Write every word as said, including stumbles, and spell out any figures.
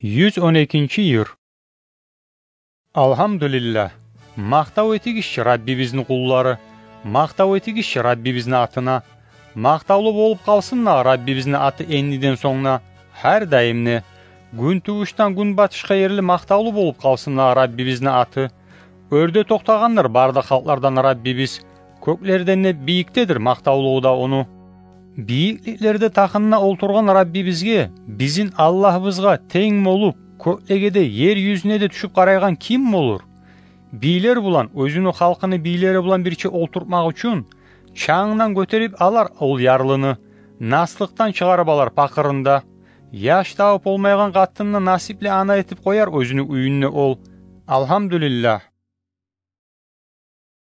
Юз он экинчи йыр. Алгьамдулиллагь. Макътав этигиз чи Раббибизни къуллары. Макътав этигиз чи Раббибизни атына. Макътавлу болуп къалсын дагъы Раббибизни аты эндиден сонг да, гьар дайым да. Гюнтувушдан гюнбатышгъа ерли макътавлу болуп къалсын дагъы Раббибизни аты. Оьрде токътагъандыр бары да халкълардан Раббибиз. Кёклерден де бийикдедир макътавлугъу да ону. Бийикликлерде тахында олтургъан Раббибизге, бизин Аллагьыбызгъа тенг болуп, кёклеге де, ер юзюне де тюшюп къарайгъан ким болур? Бийлер булан, оьзюню халкъыны бийлери булан бирче олтуртмакъ учун, чангдан гётерип алар ол ярлыны, наслыкъдан чыгъарып алар пакъырын да. Яш табып болмайгъан къатынны насипли ана этип къояр оьзюню уьюнде ол. Алгьамдулиллагь.